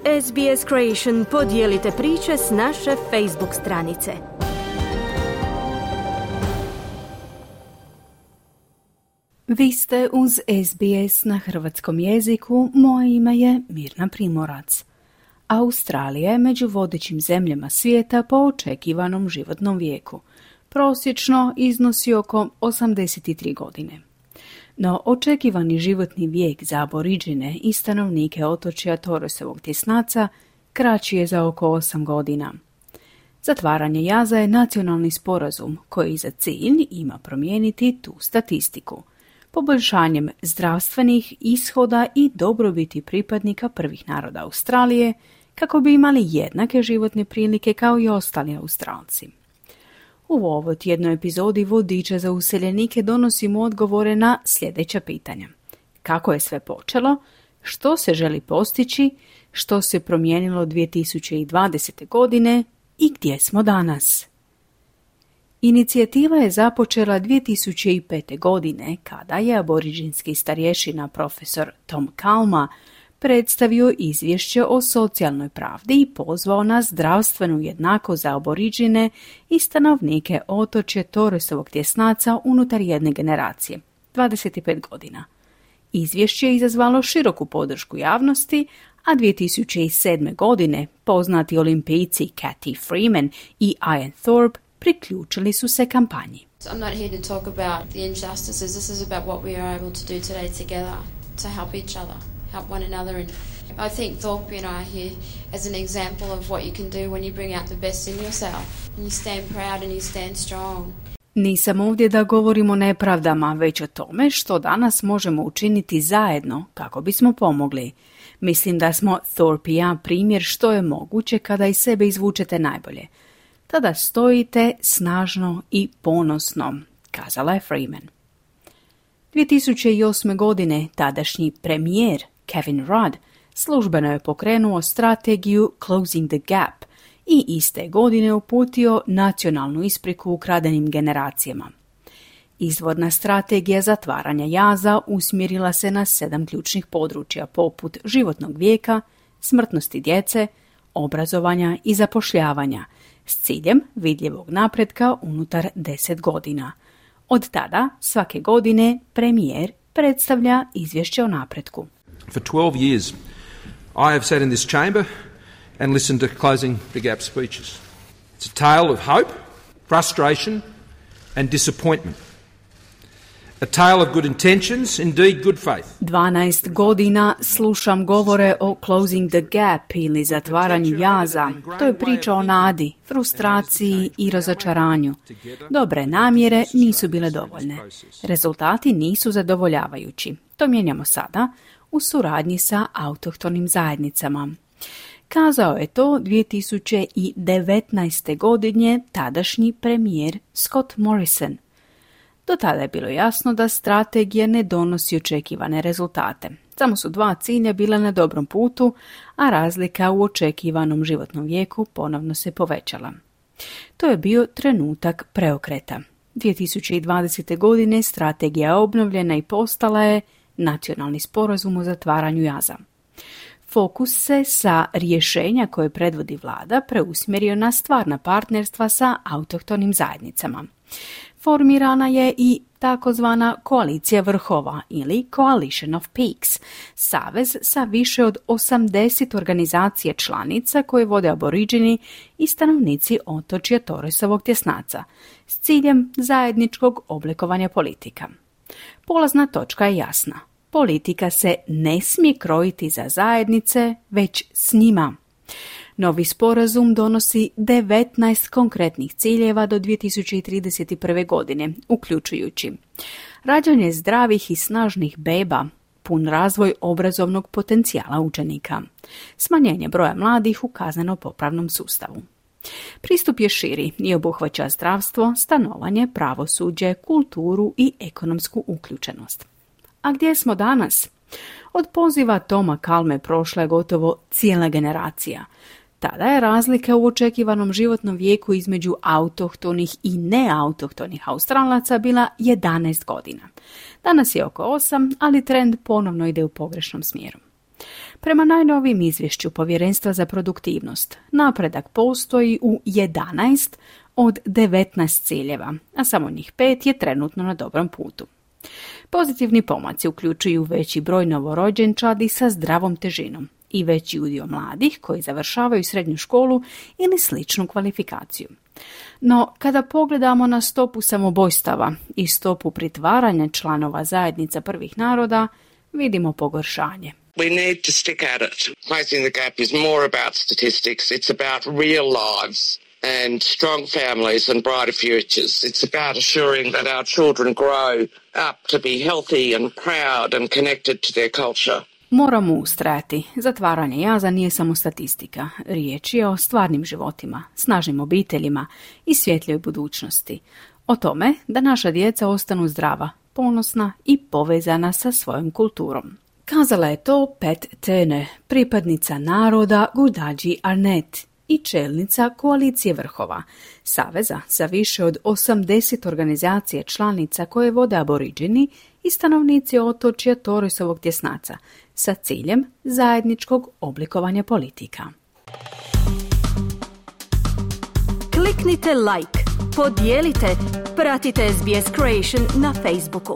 SBS Creation podijelite priče s naše Facebook stranice. Vi ste uz SBS na hrvatskom jeziku, moje ime je Mirna Primorac. Australija je među vodećim zemljama svijeta po očekivanom životnom vijeku. Prosječno iznosi oko 83 godine. No očekivani životni vijek za aboriđine i stanovnike otočja Torresovog tjesnaca kraći je za oko 8 godina. Zatvaranje jaza je nacionalni sporazum koji za cilj ima promijeniti tu statistiku, poboljšanjem zdravstvenih ishoda i dobrobiti pripadnika prvih naroda Australije kako bi imali jednake životne prilike kao i ostali Australci. U ovoj tjednoj epizodi Vodiča za useljenike donosimo odgovore na sljedeća pitanja. Kako je sve počelo? Što se želi postići? Što se promijenilo 2020. godine? I gdje smo danas? Inicijativa je započela 2005. godine kada je aboriđinski starješina profesor Tom Calma predstavio izvješće o socijalnoj pravdi i pozvao na zdravstvenu jednakost za aboriđine i stanovnike otočja Torresovog tjesnaca unutar jedne generacije, 25 godina. Izvješće je izazvalo široku podršku javnosti, a 2007. godine poznati olimpijci Cathy Freeman i Ian Thorpe priključili su se kampanji. I'm not here to talk about the injustices. This is about what we are able to do today together to help each other, help one another. And I think Thorpe and I are here as an example of what you can do when you bring out the best in yourself. And you stand proud and you stand strong. Nisam ovdje da govorimo o nepravdama, već o tome što danas možemo učiniti zajedno kako bismo pomogli. Mislim da smo Thorpe i ja primjer što je moguće kada iz sebe izvučete najbolje. Tada stojite snažno i ponosno, kazala je Freeman. 2008. godine tadašnji premijer Kevin Rudd službeno je pokrenuo strategiju Closing the Gap i iste godine uputio nacionalnu ispriku ukradenim generacijama. Izvorna strategija zatvaranja jaza usmjerila se na 7 ključnih područja poput životnog vijeka, smrtnosti djece, obrazovanja i zapošljavanja, s ciljem vidljivog napretka unutar 10 godina. Od tada, svake godine, premijer predstavlja izvješće o napretku. For 12 years, I have sat in this chamber and listened to Closing the Gap speeches. It's a tale of hope, frustration and disappointment. A tale of good intentions, indeed good faith. 12 godina slušam govore o Closing the Gap ili zatvaranju jaza. To je priča o nadi, frustraciji i razočaranju. Dobre namjere nisu bile dovoljne. Rezultati nisu zadovoljavajući. To mijenjamo sada u suradnji sa autohtonim zajednicama. Kazao je to 2019. godine tadašnji premijer Scott Morrison. Do tada je bilo jasno da strategija ne donosi očekivane rezultate. Samo su 2 cilja bila na dobrom putu, a razlika u očekivanom životnom vijeku ponovno se povećala. To je bio trenutak preokreta. 2020. godine strategija je obnovljena i postala je nacionalni sporazum o zatvaranju jaza. Fokus se sa rješenja koje predvodi vlada preusmjerio na stvarna partnerstva sa autohtonim zajednicama. Formirana je i takozvana koalicija vrhova ili Coalition of Peaks, savez sa više od 80 organizacija članica koje vode aboriđini i stanovnici otočja Torresovog tjesnaca s ciljem zajedničkog oblikovanja politika. Polazna točka je jasna. Politika se ne smije krojiti za zajednice, već s njima. Novi sporazum donosi 19 konkretnih ciljeva do 2031. godine, uključujući rađanje zdravih i snažnih beba, pun razvoj obrazovnog potencijala učenika, smanjenje broja mladih u kazneno-popravnom sustavu. Pristup je širi i obuhvaća zdravstvo, stanovanje, pravosuđe, kulturu i ekonomsku uključenost. A gdje smo danas? Od poziva Toma Calme prošla je gotovo cijela generacija. Tada je razlika u očekivanom životnom vijeku između autohtonih i neautohtonih Australaca bila 11 godina. Danas je oko 8, ali trend ponovno ide u pogrešnom smjeru. Prema najnovijim izvješću Povjerenstva za produktivnost, napredak postoji u 11 od 19 ciljeva, a samo njih 5 je trenutno na dobrom putu. Pozitivni pomaci uključuju veći broj novorođenčadi sa zdravom težinom i veći udio mladih koji završavaju srednju školu ili sličnu kvalifikaciju. No, kada pogledamo na stopu samobojstava i stopu pritvaranja članova zajednica prvih naroda, vidimo pogoršanje. We need to stick at it. Closing the gap is more about statistics. It's about real lives and strong families and brighter futures. It's about assuring that our children grow up to be healthy and proud and connected to their culture. Moramo ustrajati. Zatvaranje jaza nije samo statistika. Riječ je o stvarnim životima, snažnim obiteljima i svjetljoj budućnosti. O tome da naša djeca ostanu zdrava, ponosna i povezana sa svojom kulturom. Kazala je to Pat Turner, pripadnica naroda Gurdaji Arnet i čelnica Koalicije vrhova, saveza sa više od 80 organizacija članica koje vode aboriđini i stanovnici otočja Torresovog tjesnaca sa ciljem zajedničkog oblikovanja politika. Kliknite like, podijelite, pratite SBS Creation na Facebooku.